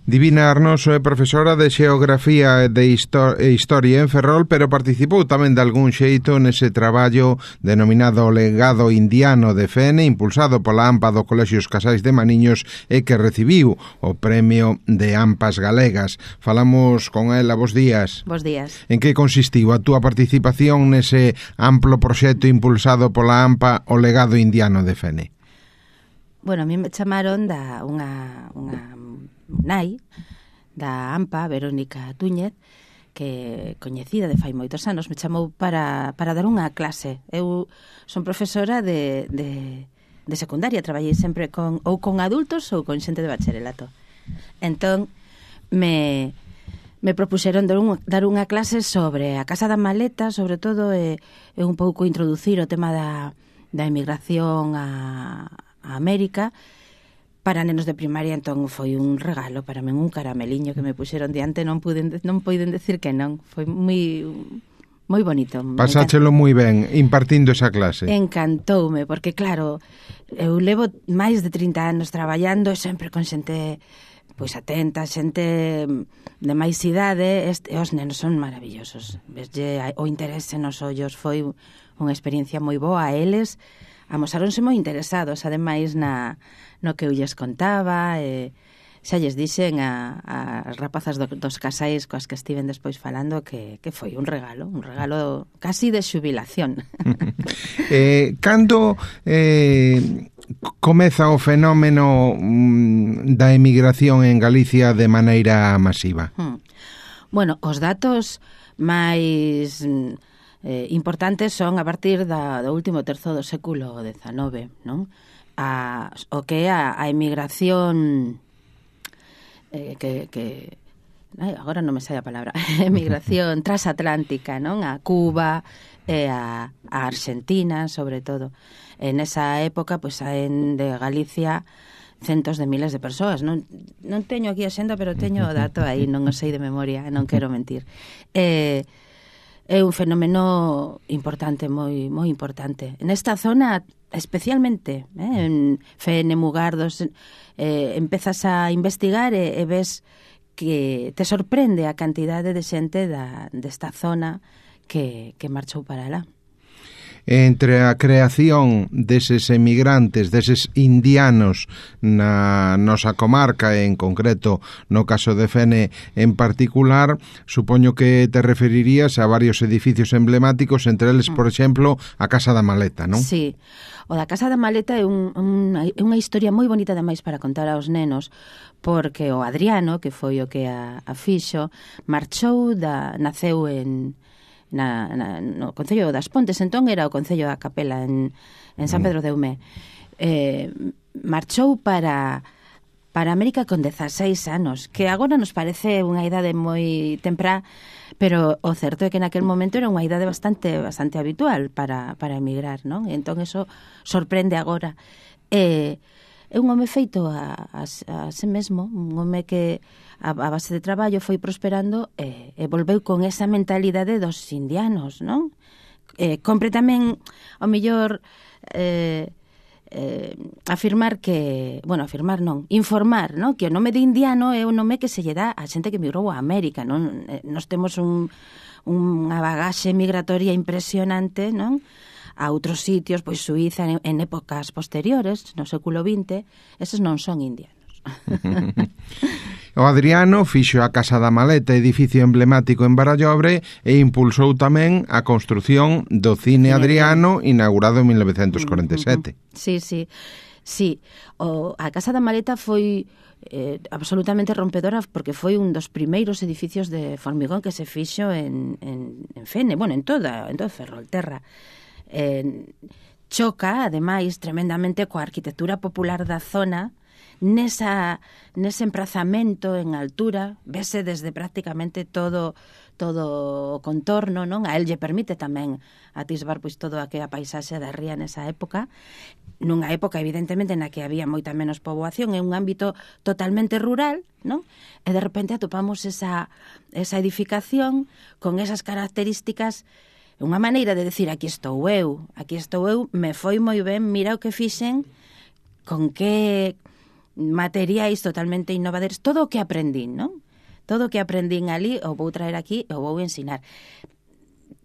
Divina Arnoso é profesora de Xeografía e de Historia en Ferrol, pero participou tamén de algún xeito nese traballo denominado Legado Indiano de Fene, impulsado pola AMPA do Colexio Os Casais de Maniños e que recibiu o Premio de AMPAs Galegas. Falamos con ela, bos días. Bos días. En que consistiu a túa participación nese amplo proxecto impulsado pola AMPA o Legado Indiano de Fene? Bueno, a mí me chamaron da unha nai da AMPA, Verónica Túñez, que coñecida de fai moitos anos, me chamou para dar unha clase. Eu son profesora de secundaria, traballei sempre con adultos ou con xente de bacharelato. Entón, me propuxeron dar unha clase sobre a Casa da Maleta, sobre todo, e un pouco introducir o tema da emigración a América para nenos de primaria. Entón foi un regalo para min, un carameliño que me puxeron diante, non poden decir que non. Foi moi bonito. Pasáchelo moi ben impartindo esa clase. Encantoume, porque claro, eu levo máis de 30 anos traballando e sempre con xente pois atenta, xente de máis idade, e os nenos son maravillosos. Veslle o interese nos ollos, foi unha experiencia moi boa. A eles amosáronse moi interesados, ademais, no que eu lles contaba, e xa lles dixen as rapazas dos casais coas que estiven despois falando que foi un regalo casi de xubilación. Cando comeza o fenómeno da emigración en Galicia de maneira masiva? Bueno, os datos máis importantes son a partir do último terzo do século XIX, non? O que é a emigración agora non me sai a palabra, emigración transatlántica, non? A Cuba e a Argentina, sobre todo. En esa época, pois, saen de Galicia centos de miles de persoas. Non teño aquí a xenda, pero teño o dato aí, non o sei de memoria, non quero mentir. É un fenómeno importante, moi importante. Nesta zona, especialmente, en Fene, Mugardos, empezas a investigar e ves que te sorprende a cantidade de xente desta zona que marchou para lá. Entre a creación deses emigrantes, deses indianos na nosa comarca, en concreto no caso de Fene en particular, supoño que te referirías a varios edificios emblemáticos, entre eles, por exemplo, a Casa da Maleta, non? Sí, o da Casa da Maleta é unha historia moi bonita ademais para contar aos nenos, porque o Adriano, que foi o que a fixo, naceu no Concello das Pontes, entón era o Concello da Capela en San Pedro de Eumé. Marchou para América con 16 anos, que agora nos parece unha idade moi temprá, pero o certo é que naquel momento era unha idade bastante habitual para emigrar, non? Entón eso sorprende agora. É un home feito a si mesmo, un home que a base de traballo foi prosperando e volveu con esa mentalidade dos indianos, non? Compre tamén, ao mellor, informar, non? Que o nome de indiano é o nome que se lle dá a xente que migrou a América, non? Nos temos unha bagaxe migratoria impresionante, non? A outros sitios, pois Suíza en épocas posteriores, no século XX, eses non son indianos. O Adriano fixo a Casa da Maleta, edificio emblemático en Barallobre, e impulsou tamén a construción do Cine Adriano, inaugurado en 1947. Sí. A Casa da Maleta foi absolutamente rompedora, porque foi un dos primeiros edificios de formigón que se fixo en Fene, bueno, en todo Ferrolterra. Choca, ademais, tremendamente coa arquitectura popular da zona. Nese emprazamento en altura, vese desde prácticamente todo o contorno, non? A el lle permite tamén atisbar pois todo a que a paisaxe da ría nesa época, nunha época evidentemente na que había moita menos poboación, en un ámbito totalmente rural, non? E de repente atopamos esa edificación con esas características, unha maneira de decir aquí estou eu, me foi moi ben, mira o que fixen, con que materiais totalmente innovadores, todo o que aprendín, non? Todo o que aprendín ali o vou traer aquí e o vou ensinar.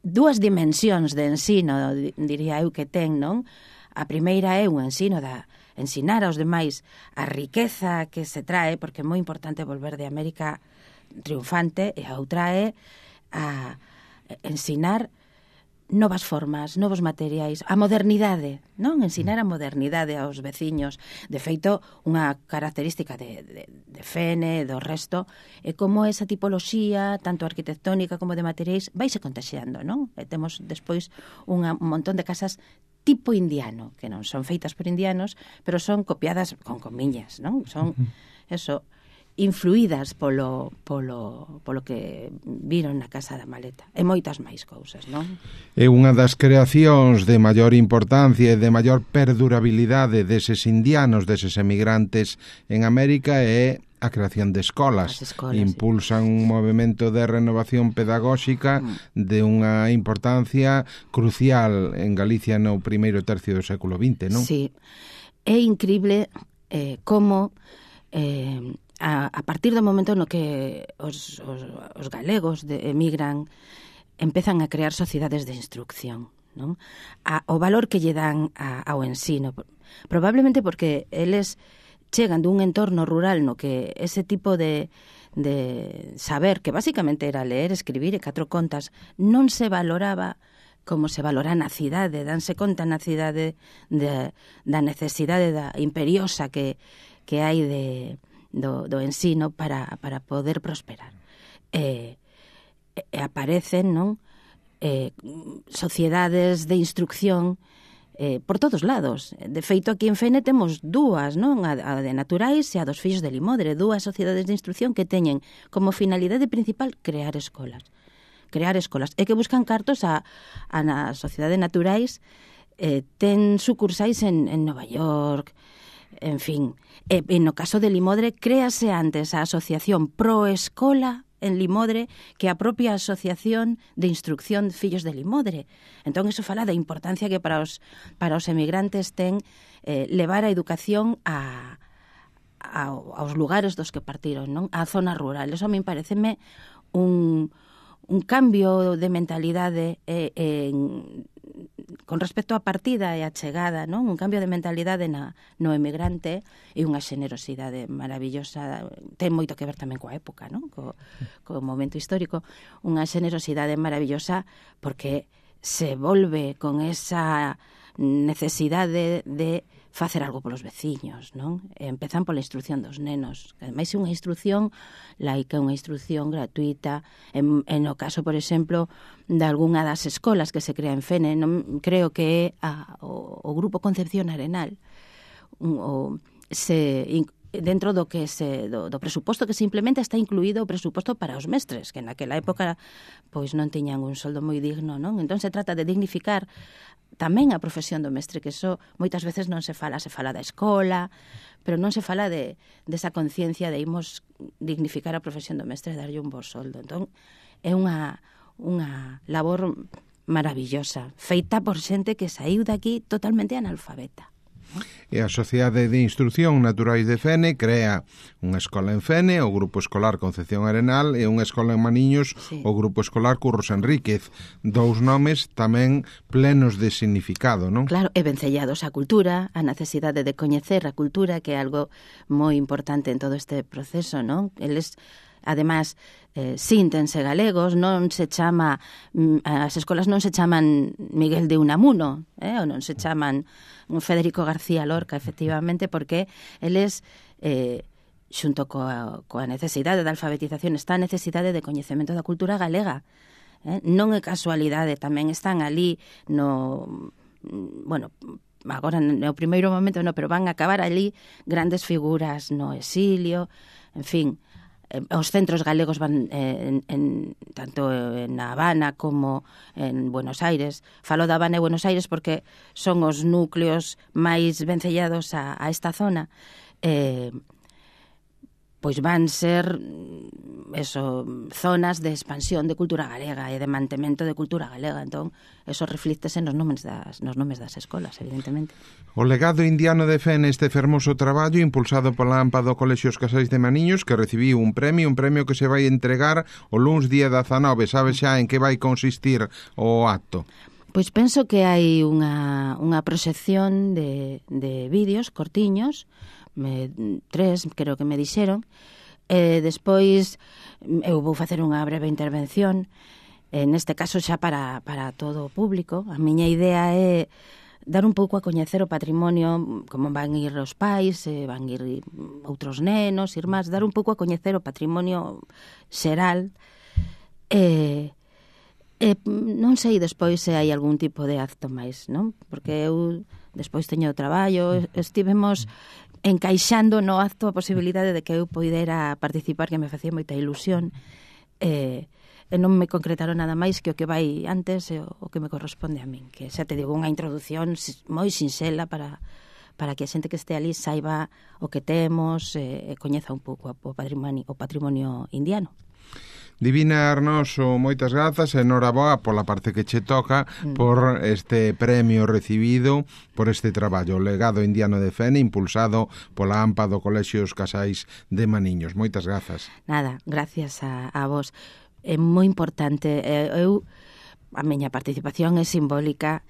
Dúas dimensións de ensino, diría eu, que ten, non? A primeira é un ensino da ensinar aos demais a riqueza que se trae, porque é moi importante volver de América triunfante, e a outra é a ensinar novas formas, novos materiais, a modernidade, non? Ensinar a modernidade aos veciños. De feito, unha característica de Fene, do resto, é como esa tipoloxía, tanto arquitectónica como de materiais, vaise contaxiando, non? E temos despois un montón de casas tipo indiano, que non son feitas por indianos, pero son copiadas con comiñas, non? Son, eso, influídas polo que viron na Casa da Maleta. E moitas máis cousas, non? É unha das creacións de maior importancia e de maior perdurabilidade deses indianos, deses emigrantes en América, é a creación de escolas. Impulsan un movimento de renovación pedagóxica de unha importancia crucial en Galicia no primeiro tercio do século XX, non? Sí. É incrible como a partir do momento no que os galegos emigran, empezan a crear sociedades de instrucción, non? O valor que lle dan ao ensino, probablemente porque eles chegan dun entorno rural no que ese tipo de saber, que basicamente era ler, escribir e 4 contas, non se valoraba como se valora na cidade. Danse conta na cidade da necesidade imperiosa que hai do ensino para poder prosperar. Aparecen, non? Sociedades de instrucción por todos lados. De feito, aquí en Fene temos dúas, non? A de Naturais e a dos Fillos de Limodre, dúas sociedades de instrucción que teñen como finalidade principal crear escolas. E que buscan cartos na Sociedade Naturais, ten sucursais en Nova York, en fin. E no caso de Limodre, créase antes a asociación Proescola en Limodre que a propia asociación de instrucción Fillos de Limodre. Entón, iso fala da importancia que para os emigrantes ten levar a educación aos lugares dos que partiron, non? A zona rural. Eso a min pareceme un cambio de mentalidade con respecto á partida e á chegada, non? Un cambio de mentalidade no emigrante e unha xenerosidade maravillosa. Ten moito que ver tamén coa época, non? Co momento histórico. Unha xenerosidade maravillosa porque se volve con esa necesidade de facer algo polos veciños, non? E empezan pola instrucción dos nenos. Ademais, é unha instrucción laica, unha instrucción gratuita. En o caso, por exemplo, de algunha das escolas que se crea en Fene, non creo que é o Grupo Concepción Arenal, dentro do presuposto que se implementa está incluído o presuposto para os mestres, que naquela época pois non tiñan un soldo moi digno, non? Entón se trata de dignificar tamén a profesión do mestre, que iso moitas veces non se fala da escola, pero non se fala desa conciencia de imos dignificar a profesión do mestre e darlle un bo soldo. Entón é unha labor maravillosa, feita por xente que saiu daqui totalmente analfabeta. E a Sociedade de Instrucción Naturais de Fene crea unha escola en Fene, o Grupo Escolar Concepción Arenal, e unha escola en Maniños, sí, o Grupo Escolar Curros Enríquez. Dous nomes tamén plenos de significado, non? Claro, e vencellados á cultura, a necesidade de coñecer a cultura, que é algo moi importante en todo este proceso, non? Eles, además, síntense galegos, non se chama, as escolas non se chaman Miguel de Unamuno, ou non se chaman Federico García Lorca, efectivamente, porque eles, xunto coa necesidade da alfabetización, está a necesidade de coñecemento da cultura galega. Non é casualidade, tamén están ali agora no primeiro momento non, pero van a acabar ali grandes figuras no exilio, en fin. Os centros galegos van tanto na Habana como en Buenos Aires. Falo da Habana e Buenos Aires porque son os núcleos máis vencellados a esta zona. Pois van ser zonas de expansión de cultura galega e de mantemento de cultura galega. Entón, eso reflíctese nos nomes das escolas, evidentemente. O legado indiano de fe neste fermoso traballo impulsado pola AMPA do Colexio Os Casais de Maniños, que recibiu un premio que se vai entregar o luns día 19. Sabe xa en que vai consistir o acto? Pois penso que hai unha proxección de vídeos cortiños, 3 creo que me dixeron. Despois eu vou facer unha breve intervención, neste caso xa para todo o público. A miña idea é dar un pouco a coñecer o patrimonio, como van ir os pais, van ir outros nenos, irmás, dar un pouco a coñecer o patrimonio xeral. Non sei despois se hai algún tipo de acto máis, non? Porque eu despois teño traballo, estivemos encaixando no acto a posibilidade de que eu poidera participar, que me facía moita ilusión, e non me concretaron nada máis que o que vai antes e o que me corresponde a min, que xa te digo, unha introdución moi sinxela para que a xente que este ali saiba o que temos e coñeza un pouco o patrimonio indiano. Divina Arnoso, moitas grazas e noraboa pola parte que che toca por este premio recibido por este traballo, o legado indiano de Fene, impulsado pola AMPA do Colexio Os Casais de Maniños. Moitas grazas. Nada, gracias a vos. É moi importante, a miña participación é simbólica,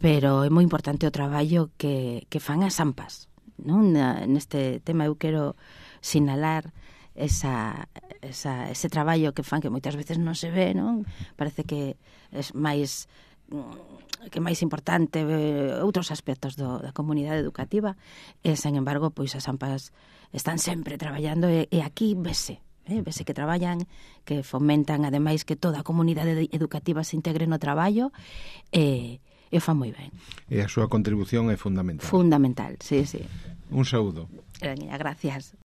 pero é moi importante o traballo que fan as AMPAs, non? Neste tema eu quero sinalar ese traballo que fan, que moitas veces non se ve, non? Parece que é máis importante outros aspectos da comunidade educativa, e, sen embargo, pois as AMPAs están sempre traballando e aquí vese que traballan, que fomentan, ademais, que toda a comunidade educativa se integre no traballo e o fan moi ben. E a súa contribución é fundamental. Fundamental, sí. Un saúdo. Gracias.